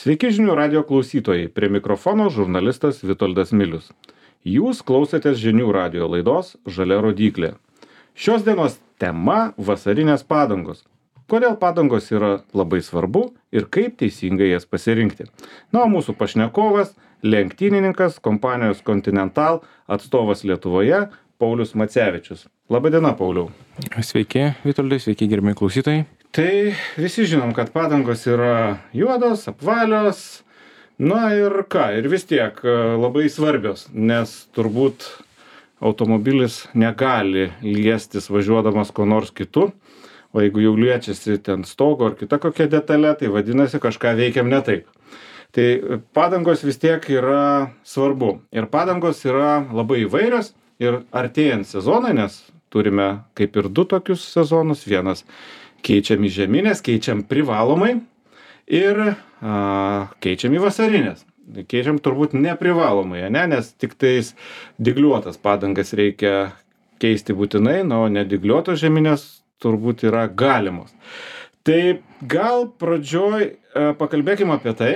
Sveiki žinių radio klausytojai, prie mikrofono žurnalistas Vitoldas Milius. Jūs klausotės žinių radio laidos Žalia rodyklė. Šios dienos tema – vasarinės padangos. Kodėl padangos yra labai svarbu ir kaip teisingai jas pasirinkti. Na, o mūsų pašnekovas – lenktynininkas, kompanijos Continental atstovas Lietuvoje Paulius Macevičius. Labadiena, Pauliau. Sveiki, Vitoldai, sveiki, gerbiami klausytojai. Tai visi žinom, kad padangos yra juodos, apvalios, na ir ką, ir vis tiek labai svarbios, nes turbūt automobilis negali liestis važiuodamas ko nors kitu, o jeigu jau liečiasi ten stogo ar kita kokia detalė, tai vadinasi kažką veikiam ne taip. Tai padangos vis tiek yra svarbu ir padangos yra labai įvairios ir artėjant sezonai, nes turime kaip ir du tokius sezonus, vienas keičiam į žieminės, keičiam privalomai ir keičiam į vasarinės. Keičiam turbūt neprivalomai, ne? Nes tik tais dygliuotas padangas reikia keisti būtinai, o nedygliuotos žieminės turbūt yra galimos. Tai gal pradžioj pakalbėkime apie tai,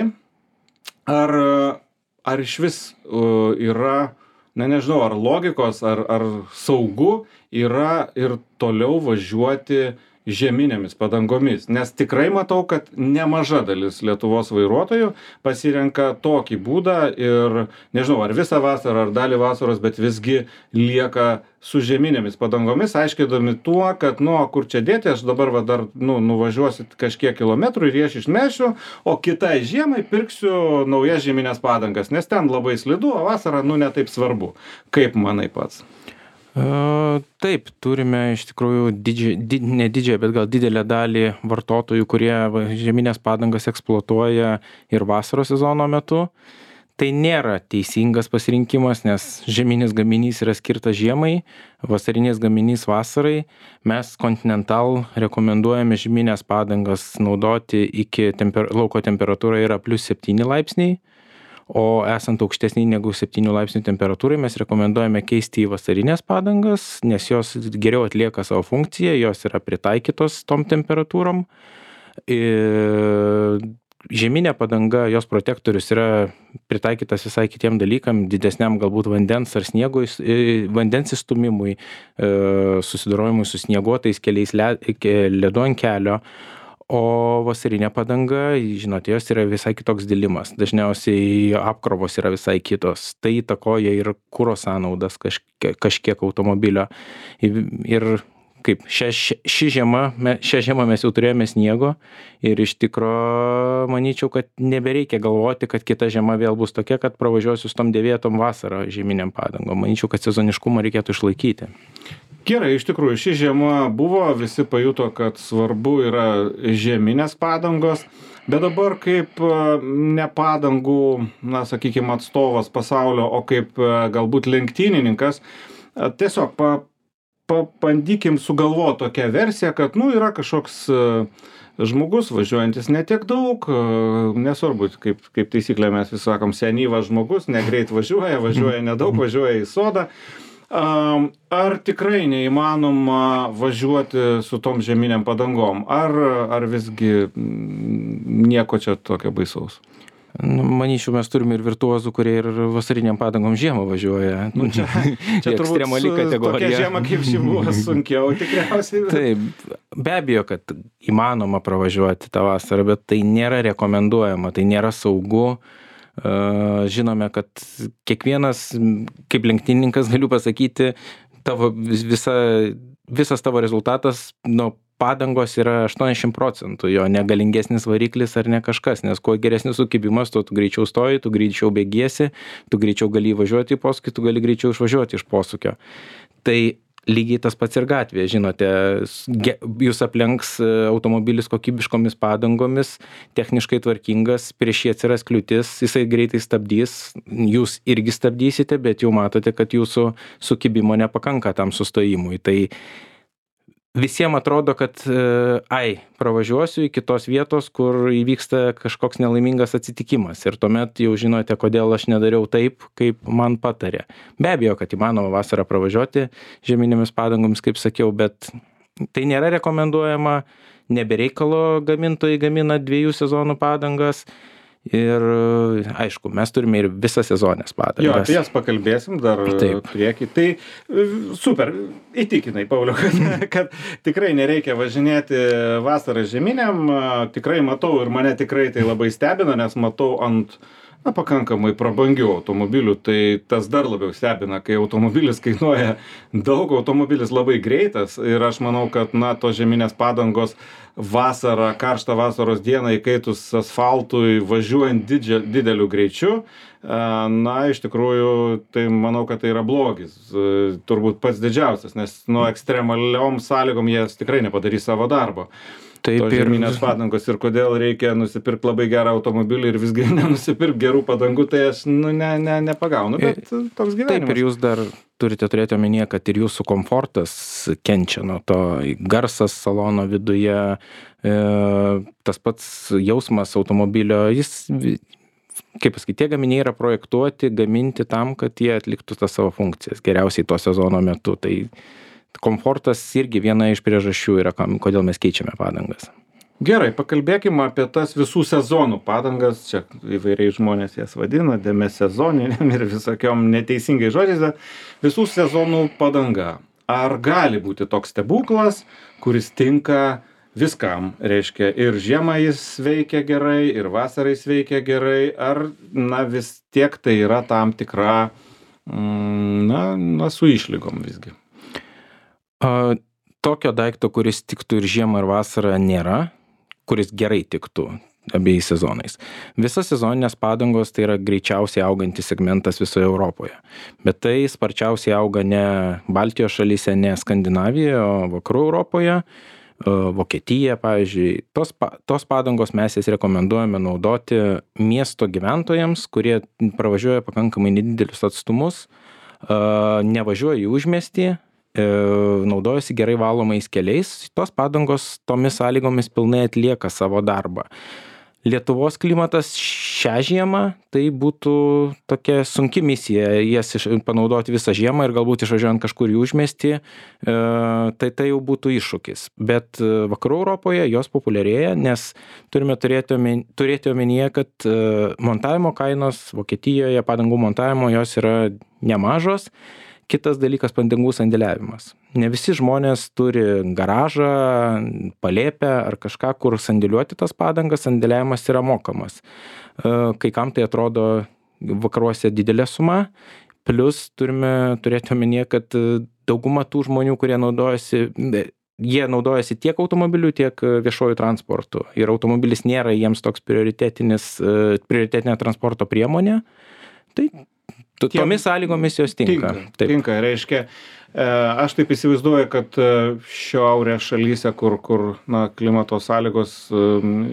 ar iš vis yra, nežinau, ar logikos, ar saugu yra ir toliau važiuoti žieminėmis padangomis, nes tikrai matau, kad nemaža dalis Lietuvos vairuotojų pasirenka tokį būdą ir nežinau, ar visą vasarą, ar dalį vasaros, bet visgi lieka su žieminėmis padangomis, aiškindami tuo, kad, kur čia dėti, aš dabar dar nuvažiuosiu kažkiek kilometrų ir jas išmešiu, o kitai žiemai pirksiu naujas žieminės padangas, nes ten labai slidu, o vasarą, ne taip svarbu. Kaip manai pats? Taip, turime iš tikrųjų ne didžiąją, bet gal didelę dalį vartotojų, kurie žieminės padangas eksploatuoja ir vasaros sezono metu. Tai nėra teisingas pasirinkimas, nes žieminis gaminys yra skirtas žiemai, vasarinis gaminys vasarai. Mes Continental rekomenduojame žieminės padangas naudoti iki lauko temperatūra yra +7 laipsniai. O esant aukštesnį negu 7 laipsnių temperatūrai, mes rekomenduojame keisti į vasarinės padangas, nes jos geriau atlieka savo funkciją, jos yra pritaikytos tom temperatūrom. Žieminė padanga, jos protektorius yra pritaikytas visai kitiem dalykam, didesniam galbūt vandens ar sniego, vandens įstūmimui, susidorojimui su snieguotais keliais ledu ant kelio. O vasarinė padanga, žinote, jos yra visai kitoks dilimas. Dažniausiai apkrovos yra visai kitos. Tai įtakoja ir kuro sąnaudas kažkiek automobilio. Ir kaip šią žiemą mes jau turėjome sniego ir iš tikro manyčiau, kad nebereikia galvoti, kad kita žiema vėl bus tokia, kad pravažiuosiu su tom dėvėtom vasarą žieminiam padangom. Manyčiau, kad sezoniškumą reikėtų išlaikyti. Gerai, iš tikrųjų, ši žiema buvo, visi pajuto, kad svarbu yra žieminės padangos, bet dabar kaip ne padangų, sakykime, atstovas pasaulio, o kaip galbūt lenktynininkas, tiesiog pabandykim sugalvoti tokią versiją, kad, yra kažkoks žmogus važiuojantis ne tiek daug, nesvarbu, kaip taisyklė mes vis sakom, senyvas žmogus, negreit važiuoja nedaug, važiuoja į sodą. Ar tikrai neįmanoma važiuoti su tom žieminiam padangom? Ar visgi nieko čia tokio baisaus? Manyčiau, mes turime ir virtuozų, kurie ir vasariniam padangom žiemą važiuoja. Čia ekstremali kategorija. Tokia žiema kaip ši buvo sunkiau tikriausiai. Taip, be abejo, kad įmanoma pravažiuoti tą vasarą, bet tai nėra rekomenduojama, tai nėra saugu. Žinome, kad kiekvienas, kaip lenktynininkas galiu pasakyti, visas tavo rezultatas padangos yra 80%, jo negalingesnis variklis ar ne kažkas, nes kuo geresnis sukibimas, tuo tu greičiau stoji, tu greičiau bėgiesi, tu greičiau gali važiuoti į posūkį, tu gali greičiau išvažiuoti iš posūkio. Tai lygiai tas pats ir gatvėje, žinote, jūs aplenks automobilis kokybiškomis padangomis, techniškai tvarkingas, prieš jį atsiras kliūtis, jisai greitai stabdys, jūs irgi stabdysite, bet jau matote, kad jūsų sukibimo nepakanka tam sustojimui. Tai visiems atrodo, kad pravažiuosiu iki tos vietos, kur įvyksta kažkoks nelaimingas atsitikimas ir tuomet jau žinote, kodėl aš nedariau taip, kaip man patarė. Be abejo, kad įmanoma vasarą pravažiuoti žieminėmis padangomis, kaip sakiau, bet tai nėra rekomenduojama, nebereikalo gamintojai gamina 2 sezonų padangas Ir aišku, mes turime ir visą sezonės padangas. Jo, apie jas pakalbėsim dar priekį. Tai super, įtikinai, Pauliau, kad tikrai nereikia važinėti vasarą žieminiam. Tikrai matau ir mane tikrai tai labai stebina, nes matau ant pakankamai prabangių automobilių, tai tas dar labiau stebina, kai automobilis kainuoja daug, automobilis labai greitas ir aš manau, kad tos žieminės padangos vasarą, karštą vasaros dieną įkaitus asfaltui, važiuojant dideliu greičiu, iš tikrųjų, tai manau, kad tai yra blogis, turbūt pats didžiausias, nes ekstremaliom sąlygom jie tikrai nepadarys savo darbo. Tos žieminės padangos ir kodėl reikia nusipirkti labai gerą automobilį ir visgi nenusipirkti gerų padangų, tai aš nepagaunu, bet toks gyvenimas. Taip, ir jūs dar turite turėti omenyje, kad ir jūsų komfortas kenčia nuo to, garsas salono viduje, tas pats jausmas automobilio, jis, kaip pasakyti, tie gaminiai yra projektuoti, gaminti tam, kad jie atliktų tas savo funkcijas geriausiai to sezono metu. Tai komfortas irgi viena iš priežasčių yra, kodėl mes keičiame padangas. Gerai, pakalbėkime apie tas visų sezonų padangas. Čia įvairiai žmonės jas vadina, demisezoniniam ir visokiom neteisingai žodžiais, bet visų sezonų padanga. Ar gali būti toks stebuklas, kuris tinka viskam? Reiškia, ir žiemą jis veikia gerai, ir vasarai jis veikia gerai, ar vis tiek tai yra tam tikra, su išlygom visgi? Tokio daikto, kuris tiktų ir žiemą, ir vasarą nėra, kuris gerai tiktų abiejais sezonais. Visas sezoninės padangos tai yra greičiausiai augantis segmentas visoje Europoje. Bet tai sparčiausiai auga ne Baltijos šalyse, ne Skandinavijoje, o vakarų Europoje, Vokietija, pavyzdžiui. Tos padangos mes jas rekomenduojame naudoti miesto gyventojams, kurie pravažiuoja pakankamai nedidelius atstumus, nevažiuoja į užmiestį, naudojasi gerai valomais keliais, tos padangos tomis sąlygomis pilnai atlieka savo darbą. Lietuvos klimatas šią žiemą, tai būtų tokia sunki misija, jas panaudoti visą žiemą ir galbūt išvažiuojant kažkur į užmiestį, tai jau būtų iššūkis. Bet vakarų Europoje jos populiarėja, nes turime turėti omenyje, kad montavimo kainos Vokietijoje, padangų montavimo, jos yra nemažos. Kitas dalykas – padangų sandėliavimas. Ne visi žmonės turi garažą, palėpę ar kažką, kur sandėliuoti tas padangas, sandėliavimas yra mokamas. Kai kam tai atrodo vakaruose didelė suma, plus turime turėti omenyje, kad dauguma tų žmonių, kurie naudojasi tiek automobiliu, tiek viešuoju transportu. Ir automobilis nėra jiems toks prioritetinė transporto priemonė. Tai tomis sąlygomis jos tinka. Tinka, reiškia, aš taip įsivaizduoju, kad šiaurės šalyse, kur klimato sąlygos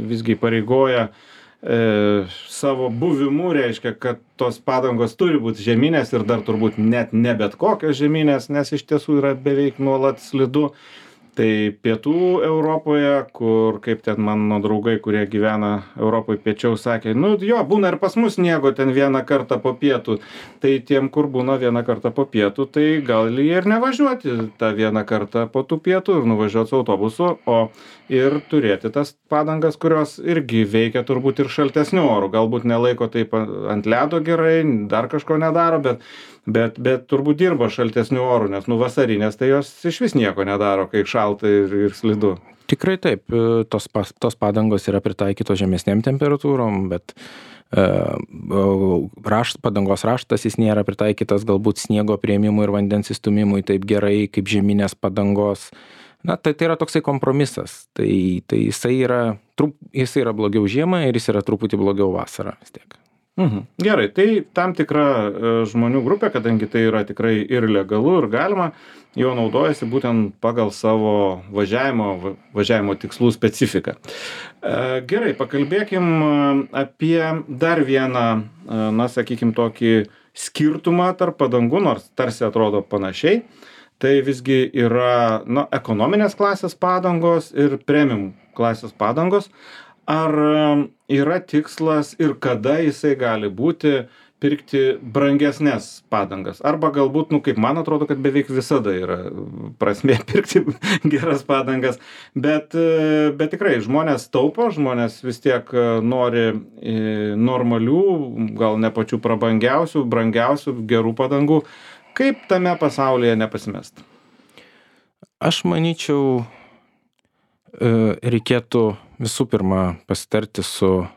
visgi pareigoja savo buvimu, reiškia, kad tos padangos turi būti žieminės ir dar turbūt net ne bet kokios žieminės, nes iš tiesų yra beveik nuolat slidu. Tai pietų Europoje, kur kaip ten mano draugai, kurie gyvena Europoje piečiau, sakė, būna ir pas mus sniego ten vieną kartą po pietų. Tai tiem, kur būna vieną kartą po pietų, tai gal jie ir nevažiuoti tą vieną kartą po tų pietų ir nuvažiuoti su autobusu, o ir turėti tas padangas, kurios irgi veikia turbūt ir šaltesniu oru. Galbūt nelaiko taip ant ledo gerai, dar kažko nedaro, bet turbūt dirba šaltesniu oru, nes vasarinės tai jos iš vis nieko nedaro, kai šalta ir slidu. Tikrai taip, tos padangos yra pritaikytos žemesnėm temperatūrom, bet padangos raštas jis nėra pritaikytas galbūt sniego priėmimui ir vandens įstūmimui taip gerai kaip žieminės padangos. Tai yra toksai kompromisas. Tai jisai yra blogiau žiemą ir jis yra truputį blogiau vasarą vis tiek. Gerai, tai tam tikra žmonių grupė, kadangi tai yra tikrai ir legalu, ir galima, jo naudojasi būtent pagal savo važiavimo tikslų specifiką. Gerai, pakalbėkim apie dar vieną, sakykim, tokį skirtumą tarp padangų, nors tarsi atrodo panašiai. Tai visgi yra ekonominės klasės padangos ir premium klasės padangos. Ar yra tikslas ir kada jisai gali būti pirkti brangesnes padangas? Arba galbūt, kaip man atrodo, kad beveik visada yra prasmė pirkti geras padangas, bet tikrai žmonės taupo, žmonės vis tiek nori normalių, gal ne pačių prabangiausių, brangiausių, gerų padangų. Kaip tame pasaulyje nepasimest? Aš manyčiau, reikėtų visų pirma pasitarti su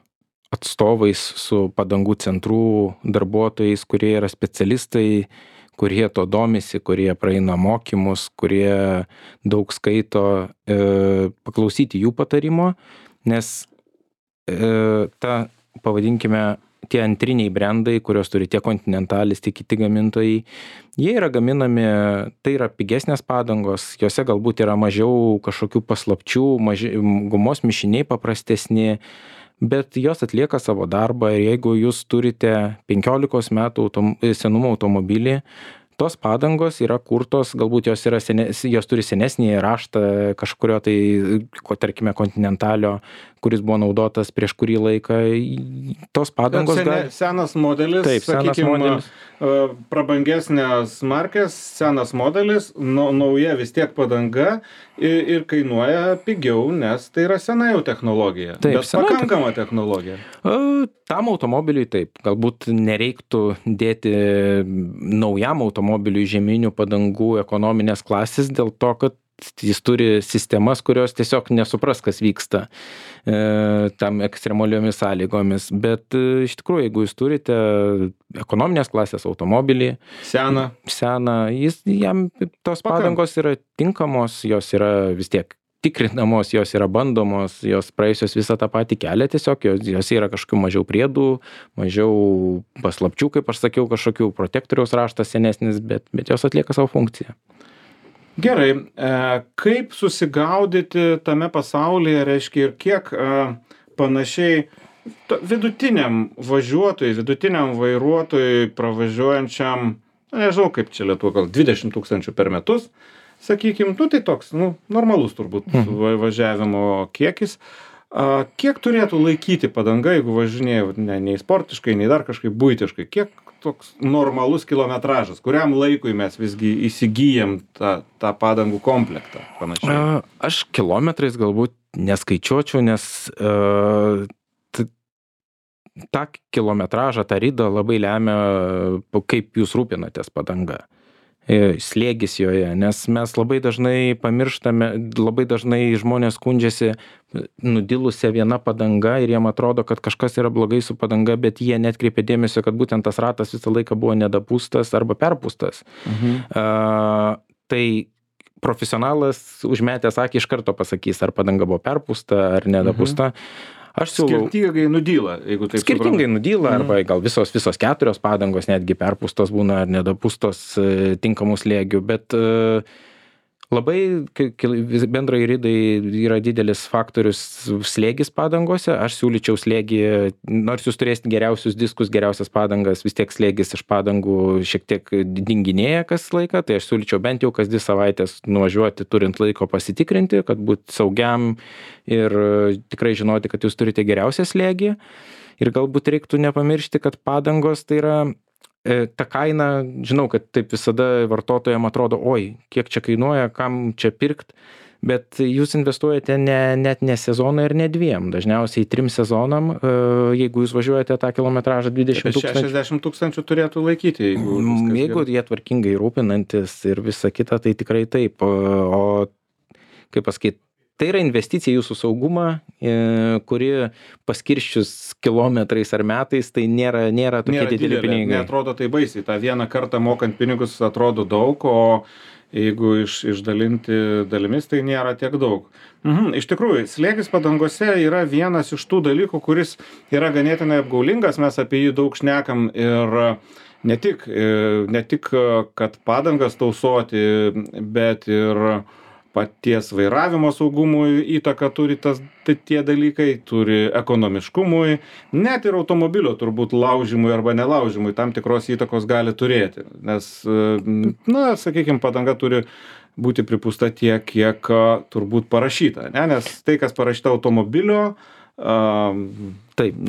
atstovais, su padangų centrų darbuotojais, kurie yra specialistai, kurie to domisi, kurie praeina mokymus, kurie daug skaito, paklausyti jų patarimo, nes pavadinkime, tie antriniai brandai, kurios turi tiek Continentalis, tiek kiti gamintojai, jie yra gaminami, tai yra pigesnės padangos, jose galbūt yra mažiau kažkokių paslapčių, gumos mišiniai paprastesni, bet jos atlieka savo darbą ir jeigu jūs turite 15 metų senumo automobilį, tos padangos yra kurtos, galbūt jos turi senesnį raštą kažkurio tai, tarkime, Continentalio, kuris buvo naudotas prieš kurį laiką. Tos padangos senas modelis, taip, senas modelis. Prabangesnės markės, senas modelis, nauja vis tiek padanga ir kainuoja pigiau, nes tai yra sena jau technologija. Taip, bet pakankama technologija. Tam automobiliui taip, galbūt nereiktų dėti naujam automobiliui žieminių padangų ekonominės klasės dėl to, kad jis turi sistemas, kurios tiesiog nesupras, kas vyksta tam ekstremaliomis sąlygomis. Bet iš tikrųjų, jeigu jūs turite ekonominės klasės automobilį, seną, jam tos padangos yra tinkamos, jos yra vis tiek tikrinamos, jos yra bandomos, jos praėjusios visą tą patį kelią, tiesiog jos yra kažkokių mažiau priedų, mažiau paslapčių, kaip aš sakiau, kažkokių protektoriaus raštas senesnis, bet jos atlieka savo funkciją. Gerai, kaip susigaudyti tame pasaulyje, reiškia, ir kiek panašiai vidutiniam važiuotojui, vidutiniam vairuotojui pravažiuojančiam, nežinau kaip čia Lietuva, gal 20 000 per metus, sakykim, tai toks, normalus turbūt važiavimo kiekis. Kiek turėtų laikyti padanga, jeigu važinėjau nei sportiškai, nei dar kažkaip buitiškai, kiek toks normalus kilometražas, kuriam laikui mes visgi įsigyjam tą padangų komplektą panašiai? Aš kilometrais galbūt neskaičiuočiau, nes tą kilometražą, tą ridą labai lemia, kaip jūs rūpinatės padanga. Slėgis joje, nes mes labai dažnai pamirštame, labai dažnai žmonės skundžiasi nudilusia viena padanga ir jiem atrodo, kad kažkas yra blogai su padanga, bet jie netkreipia dėmesio, kad būtent tas ratas visą laiką buvo nedapūstas arba perpūstas. Tai profesionalas užmetęs akį iš karto pasakys, ar padanga buvo perpūsta ar nedapūsta. Aš siūlau skirtingai nudyla, jeigu taip skirtingai nudyla, arba gal visos 4 padangos netgi perpūstos būna ar nedapūstos tinkamų slėgių, bet labai bendrai ridai yra didelis faktorius slėgis padangose. Aš siūlyčiau slėgį, nors jūs turėsite geriausius diskus, geriausias padangas, vis tiek slėgis iš padangų šiek tiek dinginėja kas laiką, tai aš siūlyčiau bent jau kas 2 savaitės nuvažiuoti, turint laiko pasitikrinti, kad būti saugiam ir tikrai žinoti, kad jūs turite geriausią slėgį. Ir galbūt reiktų nepamiršti, kad padangos tai yra ta kaina, žinau, kad taip visada vartotojams atrodo, oi, kiek čia kainuoja, kam čia pirkt, bet jūs investuojate net ne sezoną ir ne 2, dažniausiai 3 sezonam, jeigu jūs važiuojate tą kilometražą 20 000. 60 000 turėtų laikyti, jeigu jie tvarkingai rūpinantis ir visa kita, tai tikrai taip. O kaip pasakyti, tai yra investicija į jūsų saugumą, kuri paskirščius kilometrais ar metais, tai nėra tokie dideli pinigai. Neatrodo tai baisiai. Ta vieną kartą mokant pinigus atrodo daug, o jeigu išdalinti dalimis, tai nėra tiek daug. Iš tikrųjų, slėgis padangose yra vienas iš tų dalykų, kuris yra ganėtinai apgaulingas, mes apie jį daug šnekam ir ne tik kad padangas tausoti, bet ir paties vairavimo saugumui įtaką turi tie dalykai, turi ekonomiškumui, net ir automobilio turbūt laužimui arba nelaužimui tam tikros įtakos gali turėti. Nes, sakykime, padanga turi būti pripūsta tiek, kiek turbūt parašyta, ne? Nes tai, kas parašyta automobilio, taip.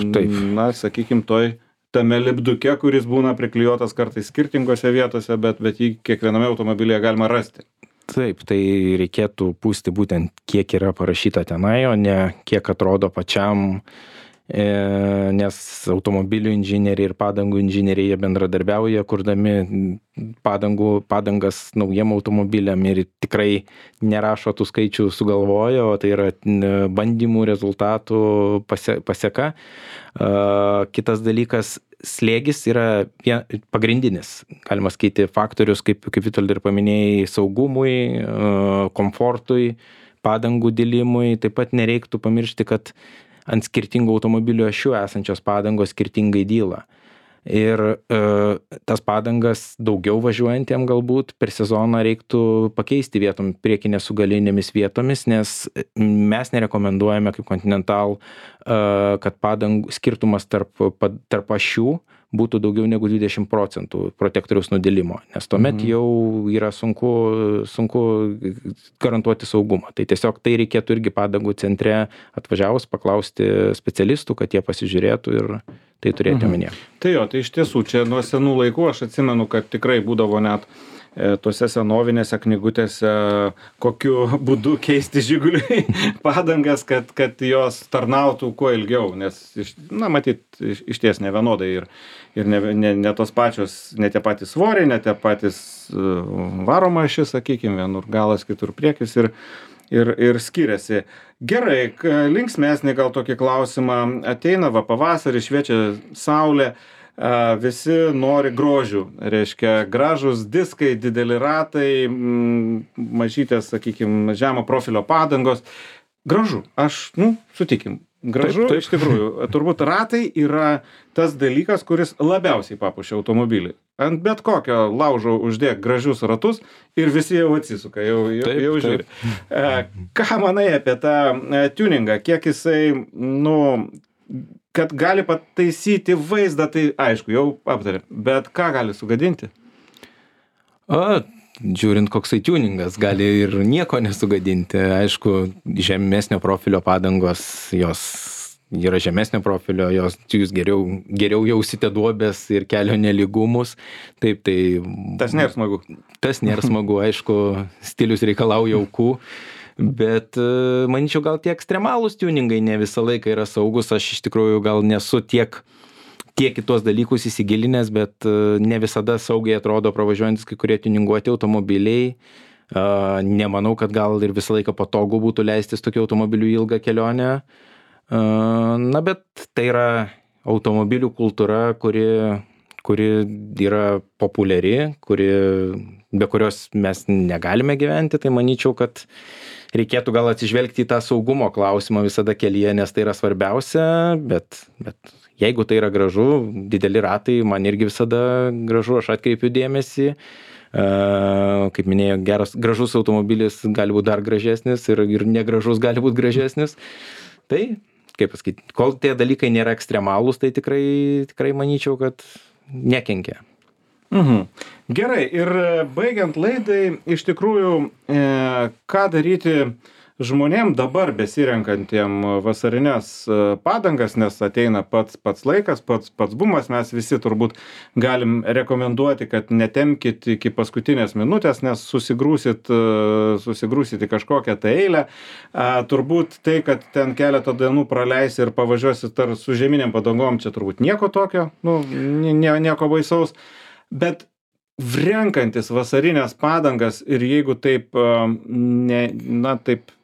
sakykime, toj tame lipduke, kuris būna priklijuotas kartais skirtingose vietose, bet jį kiekviename automobilyje galima rasti. Taip, tai reikėtų pūsti būtent kiek yra parašyta tenai, o ne kiek atrodo pačiam, nes automobilių inžinieriai ir padangų inžinieriai jie bendradarbiauja, kurdami padangas naujiem automobiliam ir tikrai nerašo tų skaičių sugalvoja, o tai yra bandymų rezultatų paseka. Kitas dalykas, slėgis yra pagrindinis, galima sakyti, faktorius, kaip Vitoldai ir paminėjai, saugumui, komfortui, padangų dilimui. Taip pat nereiktų pamiršti, kad ant skirtingų automobilių ašių esančios padangos skirtingai dyla. Ir tas padangas daugiau važiuojantiem galbūt per sezoną reiktų pakeisti vietom, priekinės su galinėmis vietomis, nes mes nerekomenduojame kaip Continental, kad padangų skirtumas tarp ašių būtų daugiau negu 20% protektoriaus nudilimo, nes tuomet jau yra sunku garantuoti saugumą. Tai tiesiog tai reikėtų irgi padangų centre atvažiavus paklausti specialistų, kad jie pasižiūrėtų ir tai turėti omenyje. Tai jo, tai iš tiesų čia nuo senų laikų aš atsimenu, kad tikrai būdavo net tose senovinėse knygutėse, kokiu būdu keisti Žiguliui padangas, kad jos tarnautų kuo ilgiau, nes, matyt, iš ties nevienodai ir ne tos pačios, ne tie patys svoriai, ne tie patys varoma ašis, sakykime, vienur galas, kitur priekis ir skiriasi. Gerai, linksmesnį gal tokį klausimą, ateina pavasarį, šviečia saulė, visi nori grožių, reiškia gražus diskai, dideli ratai, mažytės, sakykime, žemo profilio padangos. Gražu, sutikim, gražu, taip. Iš tikrųjų, turbūt ratai yra tas dalykas, kuris labiausiai papuošia automobilį. Ant bet kokio laužo uždėk gražius ratus ir visi jau atsisuka, jau žiūri. Ką manai apie tą tuningą, kiek jisai, kad gali pataisyti vaizdą, tai aišku, jau aptarėm, bet ką gali sugadinti? Žiūrint, koksai tuningas, gali ir nieko nesugadinti. Aišku, žemesnio profilio padangos, jos yra žemesnio profilio, jūs geriau jausite duobės ir kelio nelygumus. Taip, tai... Tas nėra smagu. Tas nėra smagu, aišku, stilius reikalauja aukų. Bet manyčiau, gal tie ekstremalūs tuningai ne visą laiką yra saugus. Aš iš tikrųjų gal nesu tiek į tuos dalykus įsigilinęs, bet ne visada saugiai atrodo pravažiuojantis kai kurie tuninguoti automobiliai. Nemanau, kad gal ir visą laiką patogu būtų leistis tokiu automobiliu ilgą kelionę. Bet tai yra automobilių kultūra, kuri yra populiari, be kurios mes negalime gyventi. Tai manyčiau, kad reikėtų gal atsižvelgti į tą saugumo klausimą visada kelyje, nes tai yra svarbiausia, bet jeigu tai yra gražu, dideli ratai, man irgi visada gražu, aš atkreipiu dėmesį. Kaip minėjau, gražus automobilis gali būti dar gražesnis ir negražus gali būti gražesnis. Tai, kaip pasakyti, kol tie dalykai nėra ekstremalūs, tai tikrai manyčiau, kad nekenkia. Gerai, ir baigiant laidai, iš tikrųjų, ką daryti žmonėm dabar besirenkantiem vasarinės padangas, nes ateina pats laikas, pats bumas, mes visi turbūt galim rekomenduoti, kad netemkit iki paskutinės minutės, nes susigrūsit į kažkokią tai eilę. Turbūt tai, kad ten keletą dienų praleisi ir pavažiuosit su žieminiam padangom, čia turbūt nieko tokio, nieko baisaus. Bet renkantis vasarinės padangas ir jeigu taip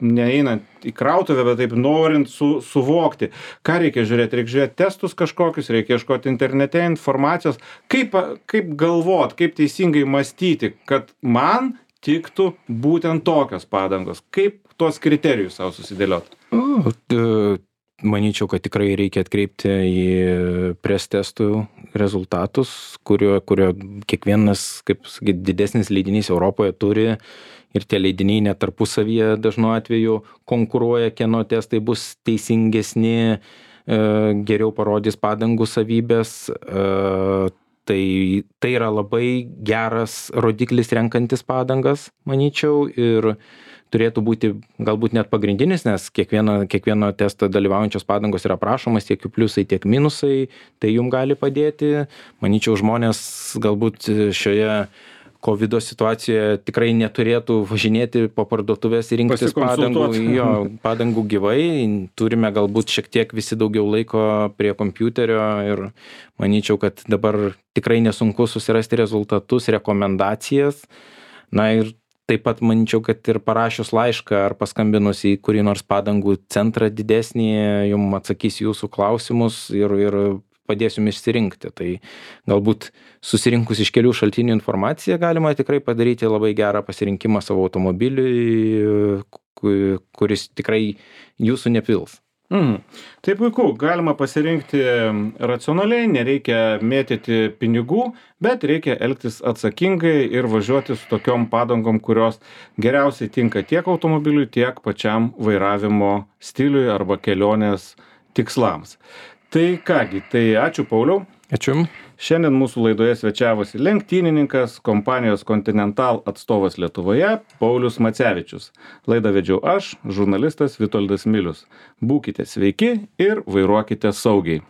neeinant į krautuvę, bet taip norint suvokti, ką reikia žiūrėti? Reikia žiūrėti testus kažkokius, reikia ieškoti internete informacijos. Kaip galvot, kaip teisingai mąstyti, kad man tiktų būtent tokios padangos? Kaip tuos kriterijus savo susidėlioti? Manyčiau, kad tikrai reikia atkreipti į pres testų rezultatus, kurio kiekvienas, kaip sakyti, didesnis leidinys Europoje turi ir tie leidiniai net tarpusavyje dažnu atveju konkuruoja, kieno testai bus teisingesni, geriau parodys padangų savybės. Tai yra labai geras rodiklis renkantis padangas, manyčiau, ir turėtų būti galbūt net pagrindinis, nes kiekvieno testo dalyvaujančios padangos yra aprašomas, tiek jų pliusai, tiek minusai, tai jum gali padėti. Manyčiau, žmonės galbūt šioje COVID situacijoje tikrai neturėtų važinėti po parduotuvės ir rinktis padangų gyvai. Turime galbūt šiek tiek visi daugiau laiko prie kompiuterio ir manyčiau, kad dabar tikrai nesunku susirasti rezultatus, rekomendacijas. Na ir taip pat manyčiau, kad ir parašius laišką ar paskambinus į kurį nors padangų centrą didesnį, jums atsakys jūsų klausimus ir padės jums išsirinkti. Tai galbūt susirinkus iš kelių šaltinių informaciją galima tikrai padaryti labai gerą pasirinkimą savo automobiliui, kuris tikrai jūsų nepils. Tai puiku, galima pasirinkti racionaliai, nereikia mėtyti pinigų, bet reikia elgtis atsakingai ir važiuoti su tokiom padangom, kurios geriausiai tinka tiek automobiliui, tiek pačiam vairavimo stiliui arba kelionės tikslams. Tai kągi, tai ačiū Pauliau. Ačiū. Šiandien mūsų laidoje svečiavosi lenktynininkas, kompanijos Continental atstovas Lietuvoje, Paulius Macevičius. Laidą vedžiau aš, žurnalistas Vitoldas Milius. Būkite sveiki ir vairuokite saugiai.